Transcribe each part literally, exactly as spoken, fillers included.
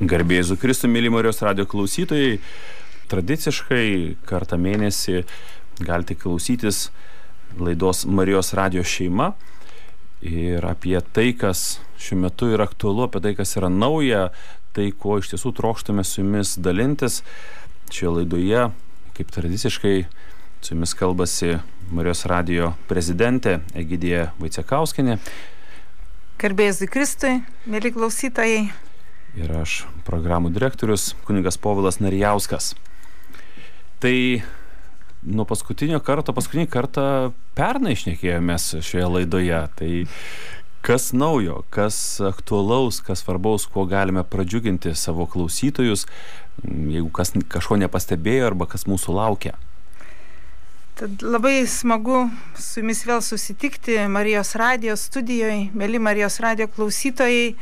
Garbė Jėzui Kristui, mėly Marijos radijo klausytojai, tradiciškai kartą mėnesį galite klausytis laidos Marijos radijo šeima ir apie tai, kas šiuo metu yra aktualu, apie tai, kas yra nauja, tai, ko iš tiesų trokštame su jumis dalintis. Šioje laidoje, kaip tradiciškai, su jumis kalbasi Marijos radijo prezidentė Egidija Vaicekauskienė. Garbė Jėzui Kristui, mėly klausytojai. Ir aš, programų direktorius, kunigas Povilas Narijauskas. Tai nuo paskutinio karto, paskutinį kartą pernai šnekėjomės šioje laidoje. Tai kas naujo, kas aktualaus, kas svarbaus, kuo galime pradžiuginti savo klausytojus, jeigu kas kažko nepastebėjo arba kas mūsų laukia. Tad labai smagu su jumis vėl susitikti Marijos radijo studijoje, mėly Marijos radijo klausytojai,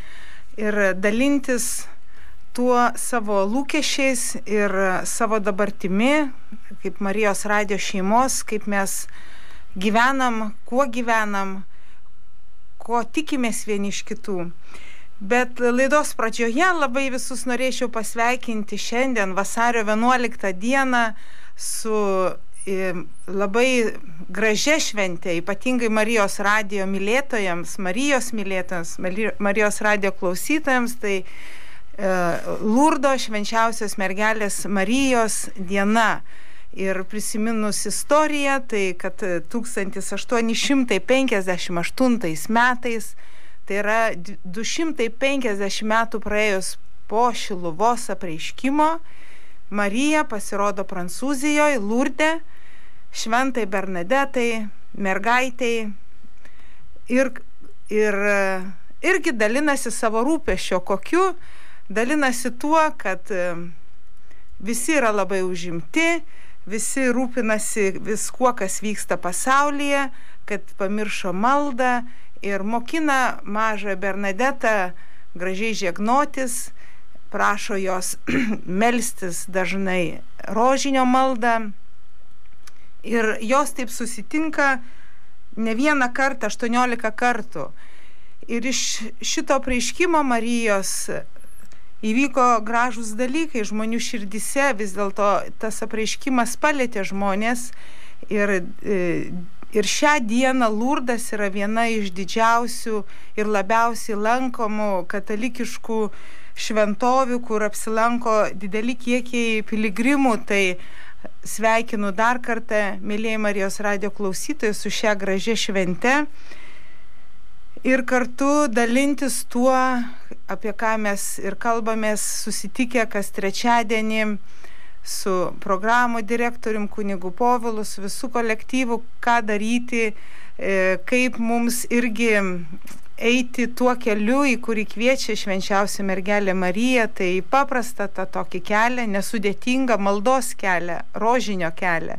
ir dalintis tuo savo lūkesčiais ir savo dabartimi, kaip Marijos radijo šeimos, kaip mes gyvenam, kuo gyvenam, ko tikimės vieni iš kitų. Bet laidos pradžioje labai visus norėčiau pasveikinti šiandien, vasario vienuoliktą dieną, su labai gražia šventė, ypatingai Marijos radijo mylėtojams, Marijos mylėtojams, Marijos radijo klausytojams, tai e, Lurdo švenčiausios mergelės Marijos diena. Ir prisiminus istoriją, tai kad tūkstantis aštuoni šimtai penkiasdešimt aštuntais metais, tai yra du šimtai penkiasdešimt metų praėjus po Šiluvos apreiškimo, Marija pasirodo Prancūzijoje, Lurde, šventai Bernadetai, mergaitei ir, ir irgi dalinasi savo rūpesčio, kokiu dalinasi tuo, kad visi yra labai užimti, visi rūpinasi viskuo, kas vyksta pasaulyje, kad pamiršo maldą ir mokina mažą Bernadetą gražiai žiegnotis, prašo jos melstis dažnai rožinio maldą. Ir jos taip susitinka ne vieną kartą, aštuoniolika kartų. Ir iš šito apreiškimo Marijos įvyko gražūs dalykai žmonių širdise, vis dėlto tas apreiškimas palietė žmonės. Ir, ir šią dieną Lurdas yra viena iš didžiausių ir labiausiai lankomų katalikiškų šventovių, kur apsilanko dideli kiekiai piligrimų. Tai sveikinu dar kartą, mėlyje Marijos radijo klausytojai, su šia gražia švente ir kartu dalintis tuo, apie ką mes ir kalbamės susitikę kas trečiadienį su programų direktorium kunigu Povilu, su visų kolektyvu, ką daryti, kaip mums irgi eiti tuo keliu, į kurį kviečia švenčiausia mergelė Marija. Tai paprasta tą tokį kelią, nesudėtingą maldos kelią, rožinio kelią.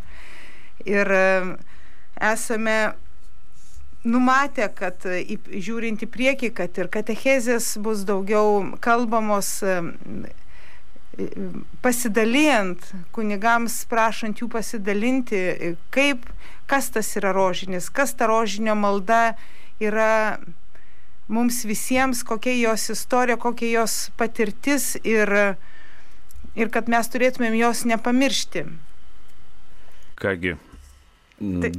Ir esame numatę, kad žiūrint į priekį, kad ir katechezės bus daugiau kalbamos, pasidalijant, kunigams prašant jų pasidalinti, kaip, kas tas yra rožinis, kas ta rožinio malda yra mums visiems, kokia jos istorija, kokia jos patirtis ir, ir kad mes turėtumėm jos nepamiršti. Kągi,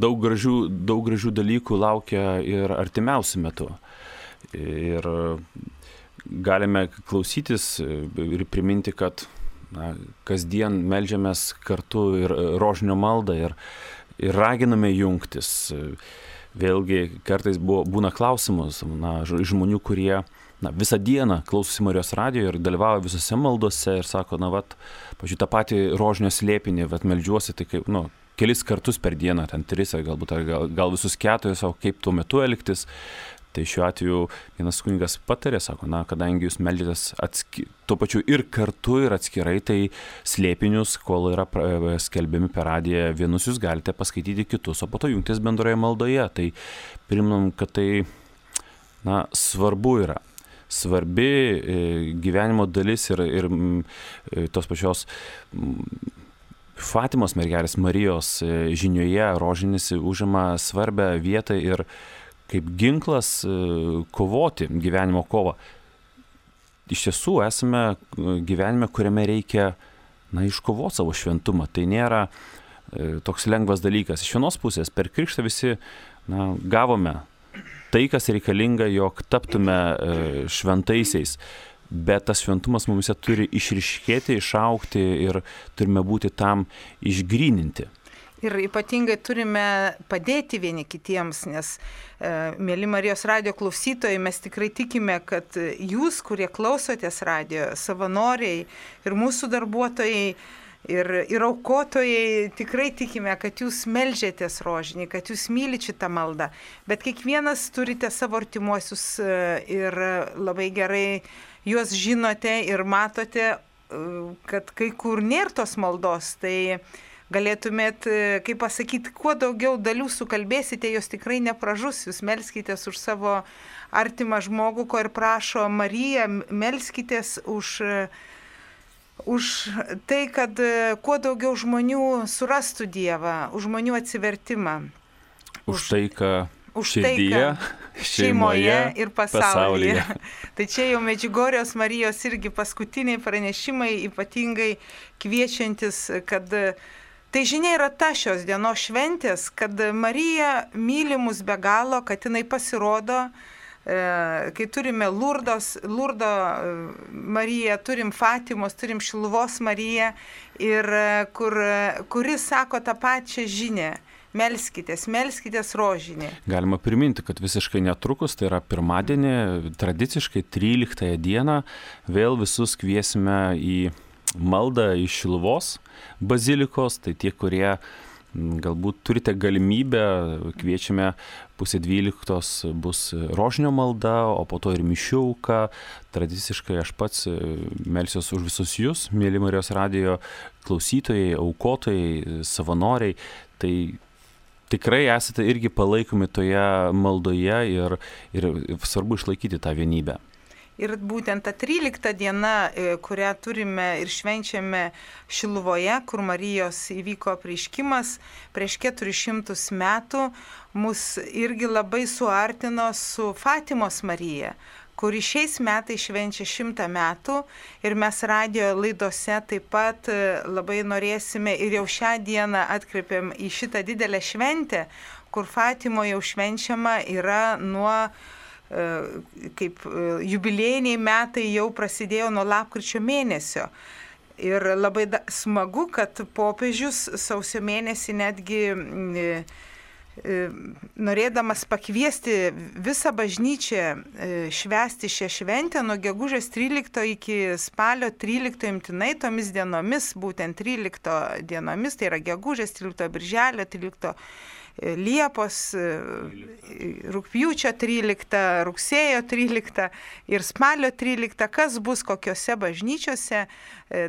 daug gražių, daug gražių dalykų laukia ir artimiausiu metu. Ir galime klausytis ir priminti, kad na, kasdien meldžiamės kartu ir rožinio maldą ir, ir raginame jungtis. Vėlgi kartais buvo, būna klausimus na, žmonių, kurie na, visą dieną klausosi Marijos radijo ir dalyvauja visose maldose ir sako, na, vat, pažiūrėjau, tą patį rožinio slėpinį, vat, meldžiuosi, tai kaip, nu, kelis kartus per dieną, ten tris, galbūt, ar gal, gal visus keturis, o kaip tuo metu elgtis. Tai šiuo atveju vienas kunigas patarė, sako, na, kadangi jūs meldžiatės atski, tuo pačiu ir kartu ir atskirai, tai slėpinius, kol yra skelbiami per radiją, vienus jūs galite paskaityti kitus, o po to jungtis bendroje maldoje. Tai priminam, kad tai na, svarbu yra. Svarbi gyvenimo dalis ir, ir tos pačios Fatimos mergelės Marijos žinioje rožinis užima svarbę vietą ir kaip ginklas kovoti gyvenimo kovą. iš tiesų esame gyvenime, kuriame reikia, na, iškovoti savo šventumą. Tai nėra e, toks lengvas dalykas. Iš vienos pusės, per krikštą visi, na, gavome tai, kas reikalinga, jog taptume e, šventaisiais. Bet tas šventumas mumise turi išryškėti, išaukti ir turime būti tam išgryninti. Ir ypatingai turime padėti vieni kitiems, nes, e, mėly Marijos radijo klausytojai, mes tikrai tikime, kad jūs, kurie klausotės radijo, savanoriai ir mūsų darbuotojai, ir, ir aukotojai, tikrai tikime, kad jūs melžiatės rožinį, kad jūs mylite šitą maldą. Bet kiekvienas turite savo artimuosius ir labai gerai juos žinote ir matote, kad kai kur nėra tos maldos, tai galėtumėt, kaip pasakyti, kuo daugiau dalių sukalbėsite, jos tikrai nepražus. Jūs melskitės už savo artimą žmogų, ko ir prašo Marija, melskitės už, už tai, kad kuo daugiau žmonių surastų Dievą, už žmonių atsivertimą. Už, už tai, ką už širdyje, tai, šeimoje ir pasaulyje. pasaulyje. Tai čia jau Medžiugorjos Marijos irgi paskutiniai pranešimai, ypatingai kviečiantis, kad tai žinia yra ta šios dienos šventės, kad Marija myli mus be galo, kad jinai pasirodo, kai turime Lurdos, Lurdo Mariją, turim Fatimos, turim Šiluvos Mariją, ir kur, kuris sako tą pačią žinią. Melskitės, melskitės rožinį. Galima priminti, kad visiškai netrukus, tai yra pirmadienį, tradiciškai tryliktąją dieną, vėl visus kviesime į maldą iš Šiluvos bazilikos. Tai tie, kurie galbūt turite galimybę, kviečiame pusė dvyliktos bus rožinio malda, o po to ir mišių auka. Tradiciškai aš pats melsiuos už visus jūs, mėly Marijos radijo klausytojai, aukotojai, savanoriai. Tai tikrai esate irgi palaikomi toje maldoje ir, ir svarbu išlaikyti tą vienybę. Ir būtent ta trylikta diena, kurią turime ir švenčiame Šiluvoje, kur Marijos įvyko apreiškimas prieš keturis šimtus metų, mus irgi labai suartino su Fatimos Marija, kuri šiais metais švenčia šimtą metų, ir mes radijo laidose taip pat labai norėsime ir jau šią dieną atkreipiam į šitą didelę šventę, kur Fatimoje jau švenčiama yra nuo, kaip jubiliejiniai metai jau prasidėjo nuo lapkričio mėnesio. Ir labai da, smagu, kad popiežius sausio mėnesį netgi norėdamas pakviesti visą bažnyčią švęsti šią šventę nuo gegužės tryliktos iki spalio tryliktos imtinai tomis dienomis, būtent tryliktos dienomis, tai yra gegužės tryliktos, birželio tryliktos, Liepos, rugpjūčio tryliktos, rugsėjo tryliktos ir spalio tryliktos, kas bus kokiose bažnyčiose,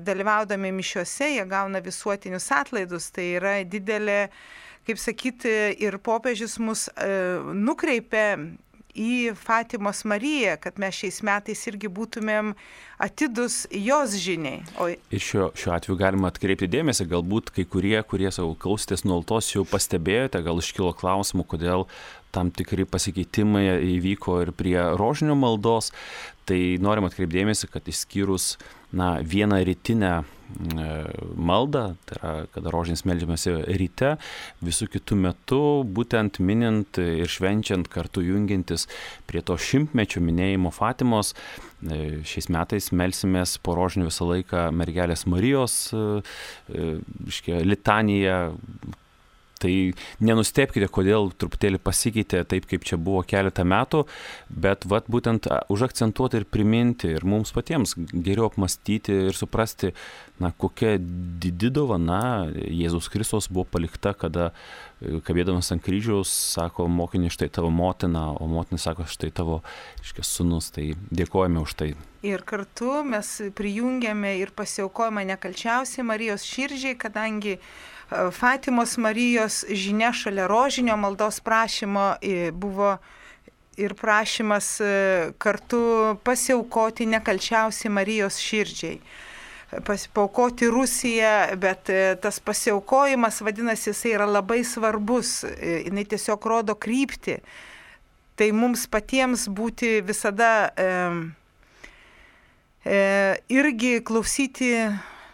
dalyvaudami mišiuose, jie gauna visuotinius atlaidus. Tai yra didelė, kaip sakyti, ir popiežius mus e, nukreipia į Fatimos Mariją, kad mes šiais metais irgi būtumėm atidus jos žiniai. O... Ir šiuo, šiuo atveju galima atkreipti dėmesį, galbūt kai kurie, kurie savo klausėtės nuolatos jau pastebėjote, gal iškilo klausimų, kodėl tam tikri pasikeitimai įvyko ir prie rožinio maldos. Tai norim atkreipti dėmesį, kad išskyrus na, vieną rytinę maldą, tai yra, kada rožinis meldžiamasi ryte, visų kitų metų, būtent minint ir švenčiant, kartu jungiantis prie to šimtmečio minėjimo Fatimos, šiais metais melsimės po rožinių visą laiką Mergelės Marijos litaniją. Tai nenustebkite, kodėl truputėlį pasikeitė taip, kaip čia buvo keletą metų, bet vat, būtent užakcentuoti ir priminti ir mums patiems geriau apmastyti ir suprasti, na, kokia didi dovana Jėzus Kristus buvo palikta, kada kabėdamas ant kryžiaus sako mokinį, štai tavo motina, o motina sako, štai tavo iškės sūnus. Tai dėkojame už tai. Ir kartu mes prijungiame ir pasiaukojame nekalčiausiai Marijos širdžiai, kadangi Fatimos Marijos žinia šalia rožinio maldos prašymo buvo ir prašymas kartu pasiaukoti nekalčiausiai Marijos širdžiai. Pasiaukoti Rusiją, bet tas pasiaukojimas, vadinasi, jisai yra labai svarbus, jinai tiesiog rodo kryptį. Tai mums patiems būti visada irgi klausyti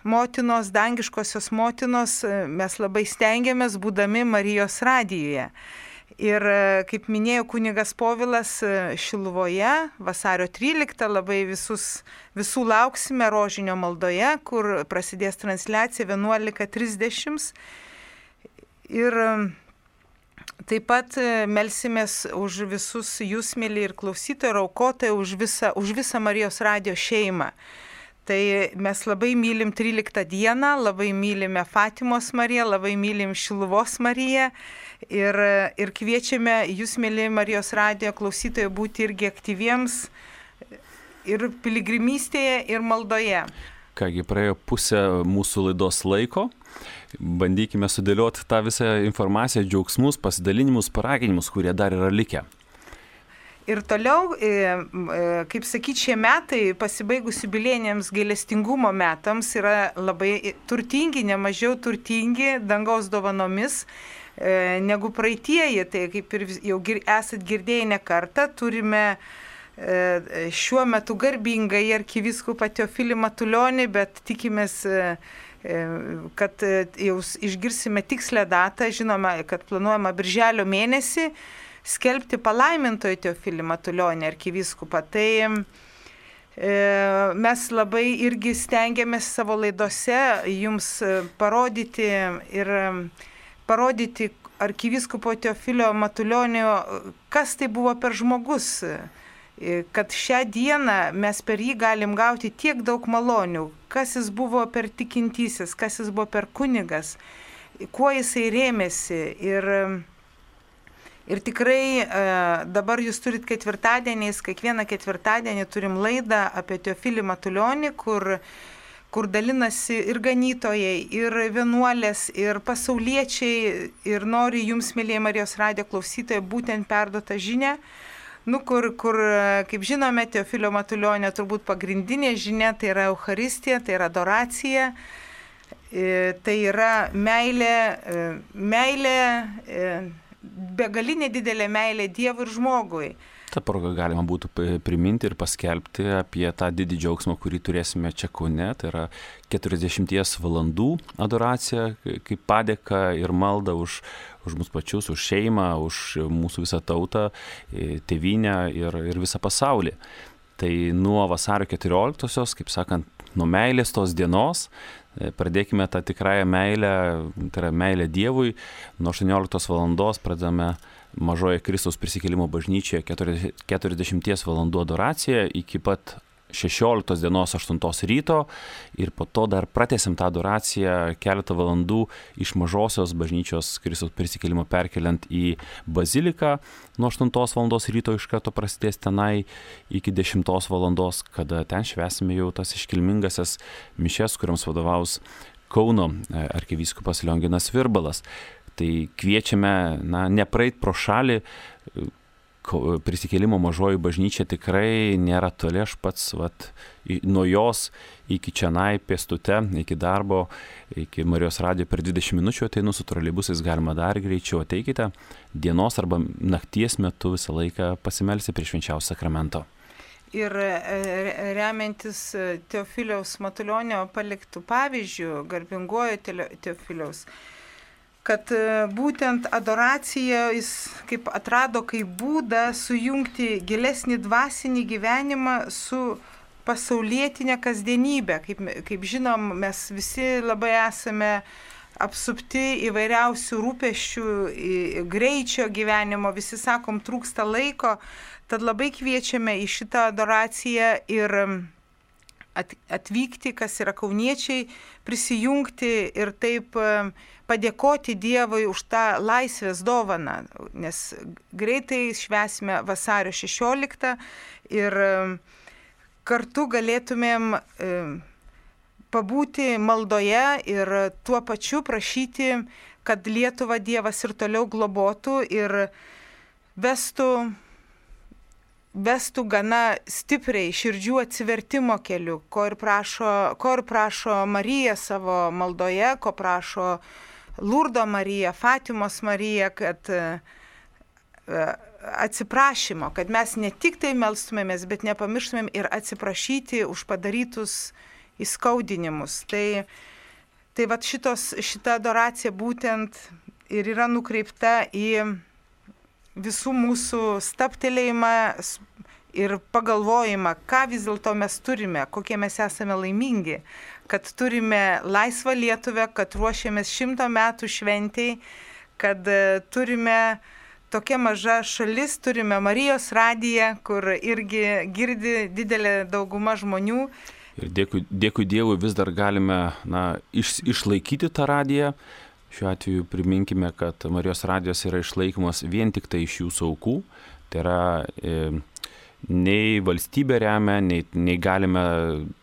motinos, dangiškosios motinos mes labai stengiamės, būdami Marijos radijuje. Ir kaip minėjo kunigas Povilas Šiluvoje, vasario tryliktą labai visus, visų lauksime rožinio maldoje, kur prasidės transliacija vienuolika trisdešimt. Ir taip pat melsimės už visus jūs, mėly ir klausytojai, ir aukotojai, už visą, už visą Marijos radijo šeimą. Tai mes labai mylim tryliktą dieną, labai mylime Fatimos Mariją, labai mylim Šiluvos Mariją ir, ir kviečiame jūs, mėly Marijos radijo klausytojai, būti irgi aktyviems ir piligrimystėje, ir maldoje. Kągi, praėjo pusę mūsų laidos laiko. Bandykime sudėlioti tą visą informaciją, džiaugsmus, pasidalinimus, paraginimus, kurie dar yra likę. Ir toliau, kaip sakyti, šie metai pasibaigus jubiliejiniams gailestingumo metams yra labai turtingi, nemažiau turtingi dangaus dovanomis negu praeitieji. Tai kaip ir jau esat girdėję ne kartą, turime šiuo metu garbingai arkivyskupą Teofilį Matulionį, bet tikimės, kad jau išgirsime tikslę datą, žinoma, kad planuojama birželio mėnesį skelbti palaimintojo Teofilį Matulionį arkivyskupą. Tai e, mes labai irgi stengiamės savo laidose jums parodyti ir parodyti arkivyskupo Teofilio Matulionio, kas tai buvo per žmogus, kad šią dieną mes per jį galim gauti tiek daug malonių, kas jis buvo per tikintysis, kas jis buvo per kunigas, kuo jisai rėmėsi. Ir Ir tikrai dabar jūs turit ketvirtadieniais, kiekvieną ketvirtadienį turim laidą apie Teofilį Matulionį, kur, kur dalinasi ir ganytojai, ir vienuolės, ir pasauliečiai, ir nori jums, mėlyje Marijos radijo klausytojai, būtent perduotą žinią, nu, kur, kur, kaip žinome, Teofilio Matulionio turbūt pagrindinė žinia, tai yra Eucharistija, tai yra adoracija, tai yra meilė, meilė, begalinė didelė meilė Dievui ir žmogui. Ta proga galima būtų priminti ir paskelbti apie tą didį džiaugsmą, kurį turėsime čia Kaune. Tai yra keturiasdešimties valandų adoracija, kaip padėka ir malda už, už mus pačius, už šeimą, už mūsų visą tautą, tėvynę ir, ir visą pasaulį. Tai nuo vasario keturioliktosios, kaip sakant, nuo meilės tos dienos, pradėkime tą tikrąją meilę, tai yra meilę Dievui. Nuo aštuonioliktos valandos pradedame Mažoje Kristaus prisikėlimo bažnyčioje keturiasdešimties valandų adoraciją iki pat šešioliktos dienos aštuntos ryto ir po to dar pratęsim tą adoraciją keletą valandų iš Mažosios bažnyčios Kristaus prisikėlimo perkeliant į baziliką. Nuo aštuntos valandos ryto iš karto prasidės tenai iki dešimtos valandos, kada ten švęsime jau tas iškilmingasias mišias, kuriams vadovaus Kauno arkivyskupas Lionginas Virbalas. Tai kviečiame, na, nepraeit pro šalį. Prisikėlimo Mažoji bažnyčia tikrai nėra toli, aš pats vat, nuo jos iki čionai pėstute, iki darbo, iki Marijos radijo per dvidešimt minučių ateinu su troleibusais, galima dar greičiau, ateikite dienos arba nakties metu visą laiką pasimelsti prie švenčiausio sakramento. Ir remiantis Teofiliaus Matulionio paliktų pavyzdžių, garbingojo Teofiliaus, kad būtent adoracija jis kaip atrado kaip būdą sujungti gilesnį dvasinį gyvenimą su pasaulietinė kasdienybė. Kaip, kaip žinom, mes visi labai esame apsupti įvairiausių rūpesčių, greičio gyvenimo, visi sakom, trūksta laiko, tad labai kviečiame į šitą adoraciją ir atvykti, kas yra kauniečiai, prisijungti ir taip padėkoti Dievui už tą laisvės dovaną, nes greitai švęsime vasario šešioliktą ir kartu galėtumėm pabūti maldoje ir tuo pačiu prašyti, kad Lietuvą Dievas ir toliau globotų ir vestų vestų gana stipriai širdžių atsivertimo keliu, ko ir prašo, ko ir prašo Marija savo maldoje, ko prašo Lurdo Marija, Fatimos Marija, kad atsiprašymo, kad mes ne tik tai melstumėmės, bet nepamirštumėm ir atsiprašyti už padarytus įskaudinimus. Tai, tai vat šitos, šita adoracija būtent ir yra nukreipta į visų mūsų stabtelėjimą ir pagalvojimą, ką vis dėlto mes turime, kokie mes esame laimingi, kad turime laisvą Lietuvę, kad ruošiamės šimto metų šventei, kad turime tokia maža šalis, turime Marijos radiją, kur irgi girdi didelė dauguma žmonių. Ir dėkui, dėkui Dievui vis dar galime na, iš, išlaikyti tą radiją. Šiuo atveju priminkime, kad Marijos radijos yra išlaikomas vien tik tai iš jūsų aukų. Tai yra e, nei valstybė remia, nei, nei galime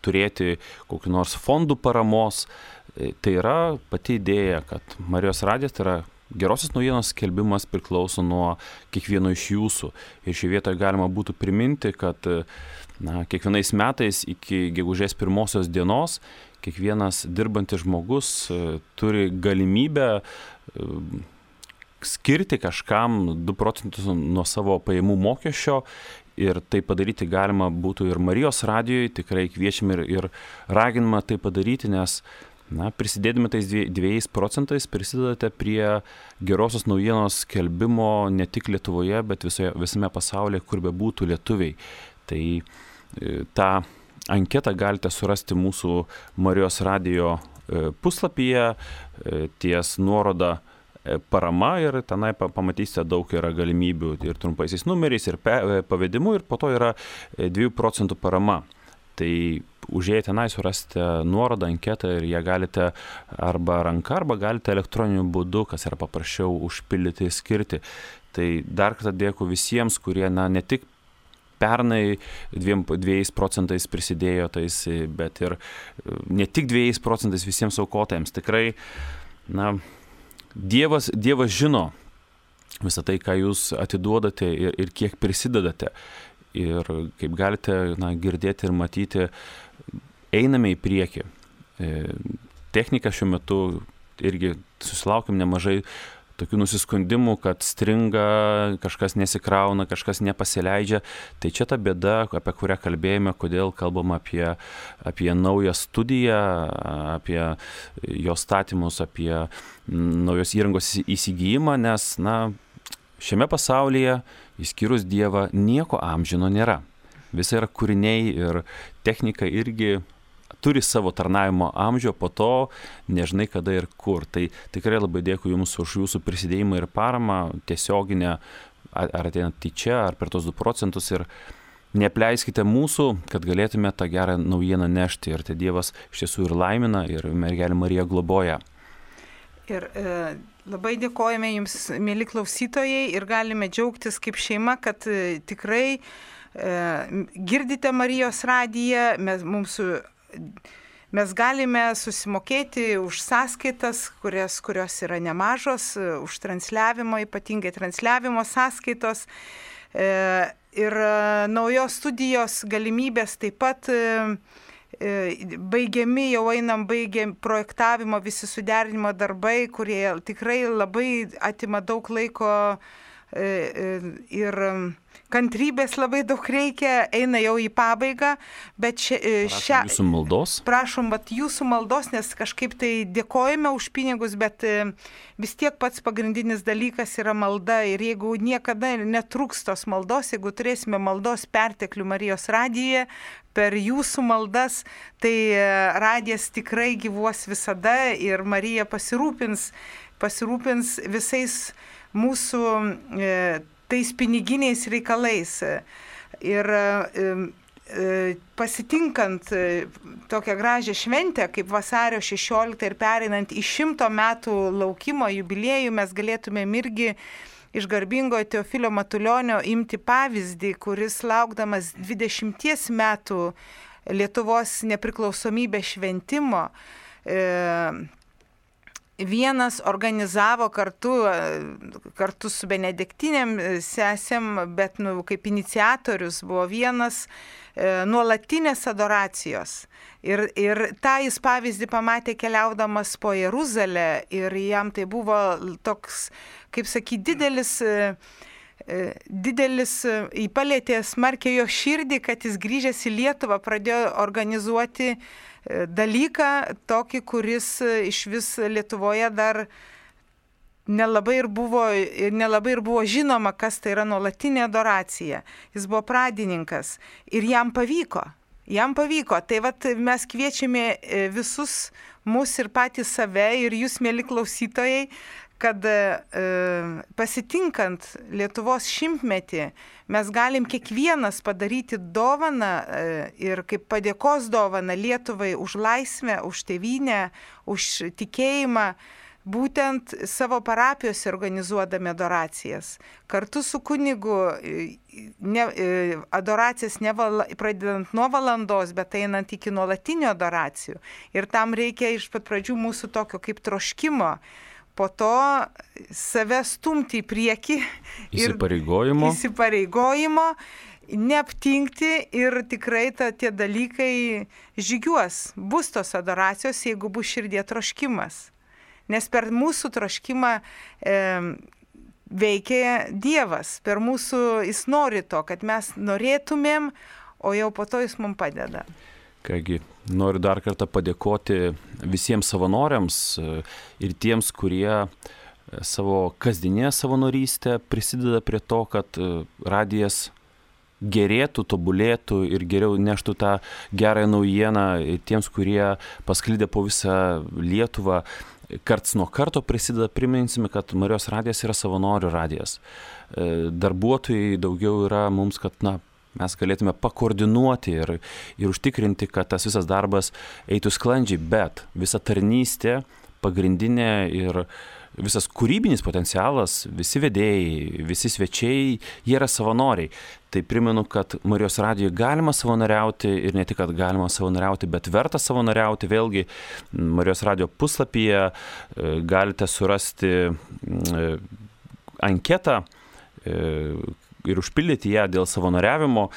turėti kokių nors fondų paramos. E, tai yra pati idėja, kad Marijos radijas tai yra gerosios naujienos skelbimas priklauso nuo kiekvieno iš jūsų. Ir šį vietą galima būtų priminti, kad na, kiekvienais metais iki gegužės pirmosios dienos kiekvienas dirbantis žmogus turi galimybę skirti kažkam du procentus nuo savo pajamų mokesčio. Ir tai padaryti galima būtų ir Marijos radijoje, tikrai kviečiam ir, ir raginama tai padaryti, nes na, prisidėdami tais dviejais procentais prisidedate prie gerosios naujienos skelbimo ne tik Lietuvoje, bet visoje, visame pasaulyje, kur be būtų lietuviai. Tai e, tą anketą galite surasti mūsų Marijos radijo e, puslapyje e, ties nuoroda e, parama ir tenai pamatysite daug yra galimybių ir trumpaisiais numeriais, ir pe, e, pavedimu, ir po to yra e, dviejų procentų parama. Tai užėję tenai surasite nuorodą, anketą ir ją galite arba ranka, arba galite elektroniniu būdu, kas yra paprasčiau, užpildyti, skirti. Tai dar kartą dėkui visiems, kurie na, ne tik pernai dviem, dviejais procentais prisidėjo tais, bet ir ne tik dviejais procentais visiems aukotojams. Tikrai na, Dievas, Dievas žino visą tai, ką jūs atiduodate ir, ir kiek prisidedate. Ir kaip galite na, girdėti ir matyti, einame į priekį. E, technika šiuo metu irgi susilaukiam nemažai tokių nusiskundimų, kad stringa, kažkas nesikrauna, kažkas nepasileidžia. Tai čia ta bėda, apie kurią kalbėjome, kodėl kalbam apie, apie naują studiją, apie jos statymus, apie naujos įrangos įsigijimą, nes na, šiame pasaulyje, išskyrus Dievą, nieko amžino nėra. Visi yra kūriniai ir technika irgi turi savo tarnavimo amžių, po to nežinai kada ir kur. Tai tikrai labai dėkui Jums už Jūsų prisidėjimą ir paramą tiesioginę, ar ateinant į čia, ar per tos du procentus. Ir neapleiskite mūsų, kad galėtume tą gerą naujieną nešti. Ir tai Dievas iš tiesų ir laimina, ir mergelė Marija globoja. Ir e, labai dėkojame Jums, mėly klausytojai, ir galime džiaugtis kaip šeima, kad e, tikrai e, girdite Marijos radiją, mes, mums, mes galime susimokėti už sąskaitas, kurios, kurios yra nemažos, už transliavimo, ypatingai transliavimo sąskaitos. E, ir naujos studijos galimybės taip pat e, baigiami, jau einam baigiam projektavimo, visi suderinimo darbai, kurie tikrai labai atima daug laiko ir kantrybės labai daug reikia, eina jau į pabaigą, bet šia, šią... Jūsų maldos? Prašom, vat, jūsų maldos, nes kažkaip tai dėkojame už pinigus, bet vis tiek pats pagrindinis dalykas yra malda ir jeigu niekada netrūks tos maldos, jeigu turėsime maldos perteklių Marijos radijoje, per jūsų maldas, tai radijas tikrai gyvuos visada ir Marija pasirūpins, pasirūpins visais mūsų e, tais piniginiais reikalais. Ir e, pasitinkant e, tokią gražią šventę, kaip vasario šešioliktą ir pereinant į šimto metų laukimo jubiliejų, mes galėtumėm irgi iš garbingojo Teofilio Matulionio imti pavyzdį, kuris laukdamas dvidešimties metų Lietuvos nepriklausomybės šventimo e, vienas organizavo kartu, kartu su benediktinėm sesėm, bet nu, kaip iniciatorius buvo vienas e, nuolatinės adoracijos. Ir, ir tą jis pavyzdį pamatė keliaudamas po Jeruzalę ir jam tai buvo toks, kaip sakyti, didelis, didelis, įpalėtė smarkiai jo širdį, kad jis grįžęs į Lietuvą pradėjo organizuoti dalyką tokį, kuris iš vis Lietuvoje dar nelabai ir buvo, nelabai ir buvo žinoma, kas tai yra nuolatinė adoracija. Jis buvo pradininkas ir jam pavyko. Jam pavyko. Tai vat mes kviečiame visus mus ir patys save ir jūs, mėly klausytojai, kad e, pasitinkant Lietuvos šimtmetį mes galim kiekvienas padaryti dovaną e, ir kaip padėkos dovaną Lietuvai už laisvę, už tėvynę, už tikėjimą, būtent savo parapijose organizuodami adoracijas. Kartu su kunigu ne, adoracijas ne val, pradedant nuo valandos, bet einant iki nuolatinių adoracijų. Ir tam reikia iš pat pradžių mūsų tokio kaip troškimo, po to save stumti į priekį. Įsipareigojimo. Įsipareigojimo, neaptingti ir tikrai ta, tie dalykai žygiuos. Bus tos adoracijos, jeigu bus širdie troškimas. Nes per mūsų troškimą e, veikia Dievas, per mūsų jis nori to, kad mes norėtumėm, o jau po to jis mums padeda. Kągi, noriu dar kartą padėkoti visiems savanoriams ir tiems, kurie savo kasdienę savanorystę prisideda prie to, kad radijas gerėtų, tobulėtų ir geriau neštų tą gerąją naujieną tiems, kurie pasklidę po visą Lietuvą. Karts nuo karto prisideda, priminsime, kad Marijos radijas yra savanorių radijas. Darbuotojai daugiau yra mums, kad na, mes galėtume pakoordinuoti ir, ir užtikrinti, kad tas visas darbas eitų sklandžiai, bet visa tarnystė, pagrindinė ir visas kūrybinis potencialas, visi vedėjai, visi svečiai, jie yra savanoriai. Tai primenu, kad Marijos radijoje galima savanoriauti ir ne tik, kad galima savanoriauti, bet verta savanoriauti. Vėlgi, Marijos radijo puslapyje galite surasti anketą ir užpildyti ją dėl savanoriavimo.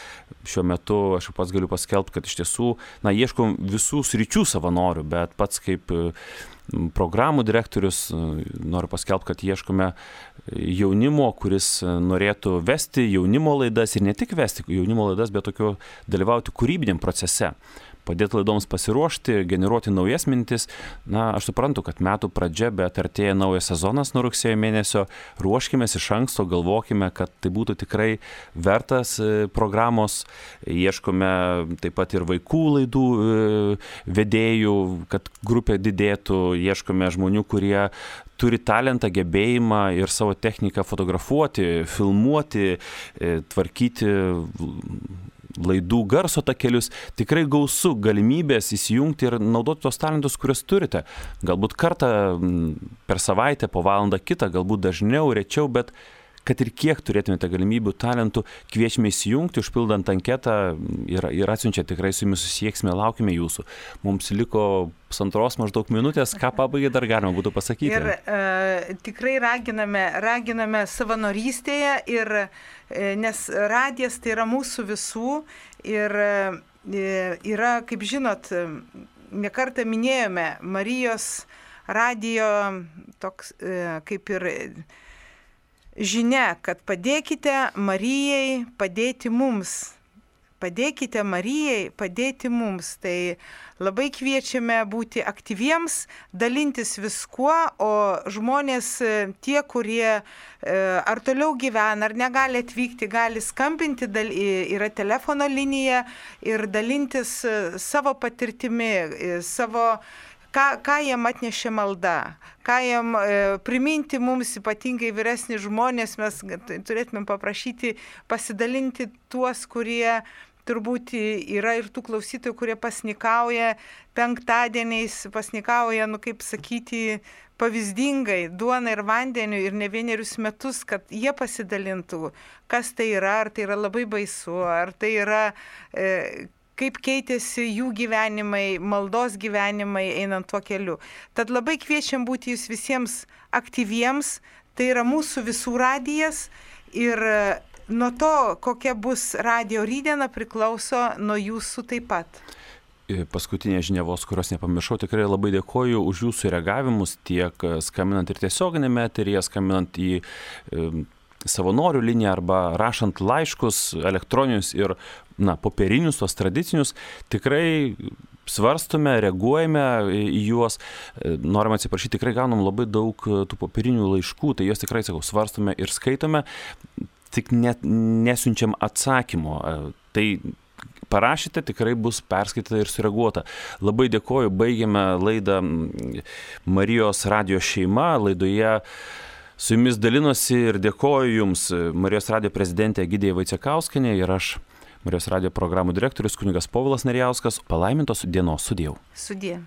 Šiuo metu aš pats galiu paskelbti, kad iš tiesų, na, ieškom visų sričių savanorių, bet pats kaip programų direktorius noriu paskelbti, kad ieškome jaunimo, kuris norėtų vesti jaunimo laidas ir ne tik vesti jaunimo laidas, bet tokio dalyvauti kūrybiniam procese. Padėti laidoms pasiruošti, generuoti naujas mintis. Na, aš suprantu, kad metų pradžia, bet artėja naujas sezonas nuo rugsėjo mėnesio. Ruoškimės iš anksto, galvokime, kad tai būtų tikrai vertas programos. Ieškome taip pat ir vaikų laidų vedėjų, kad grupė didėtų. Ieškome žmonių, kurie turi talentą, gebėjimą ir savo techniką fotografuoti, filmuoti, tvarkyti laidų garso takelius. Tikrai gausu galimybės įsijungti ir naudoti tos talentus, kuriuos turite. Galbūt kartą per savaitę, po valandą kitą, galbūt dažniau, rečiau, bet kad ir kiek turėtumėte galimybių, talentų, kviečiame įsijungti, užpildant anketą ir, ir atsiunčia, tikrai su jumis susieksime, laukime jūsų. Mums liko pusantros maždaug minutės, ką pabaigai dar galima būtų pasakyti. Ir e, tikrai raginame, raginame savanorystėje, ir, e, nes radijas tai yra mūsų visų ir e, yra, kaip žinot, ne kartą minėjome, Marijos radijo toks e, kaip ir žinia, kad padėkite Marijai padėti mums. Padėkite Marijai padėti mums. Tai labai kviečiame būti aktyviems, dalintis viskuo, o žmonės tie, kurie ar toliau gyvena, ar negali atvykti, gali skambinti, yra telefono linija ir dalintis savo patirtimi, savo Ką, ką jam atnešė malda, ką jam e, priminti mums, ypatingai vyresni žmonės, mes turėtumėm paprašyti pasidalinti tuos, kurie turbūt yra ir tų klausytojų, kurie pasnikauja penktadieniais, pasnikauja, nu kaip sakyti, pavyzdingai, duona ir vandeniu ir ne vienerius metus, kad jie pasidalintų, kas tai yra, ar tai yra labai baisu, ar tai yra E, kaip keitėsi jų gyvenimai, maldos gyvenimai einant tuo keliu. Tad labai kviečiam būti jūs visiems aktyviems, tai yra mūsų visų radijas ir nuo to, kokia bus radijo rytdiena, priklauso nuo jūsų taip pat. Paskutinė žinia vos, kurios nepamiršau, tikrai labai dėkoju už jūsų reagavimus, tiek skambinant ir tiesioginėme eteryje, skambinant į savanorių liniją arba rašant laiškus elektroninius ir, na, popierinius, tos tradicinius, tikrai svarstome, reaguojame į juos. Norime atsiprašyti, tikrai gaunam labai daug tų popierinių laiškų, tai juos tikrai, sakau, svarstome ir skaitome, tik net nesiunčiam atsakymo. Tai parašyte, tikrai bus perskaityta ir sureaguota. Labai dėkoju, baigėme laidą Marijos radijo šeima. Laidoje su jumis dalinosi ir dėkoju jums Marijos radijo prezidentė Egidija Vaicekauskienė ir aš, Marijos radijo programų direktorius kunigas Povilas Narijauskas. Palaimintos dienos, sudiev. Sudie.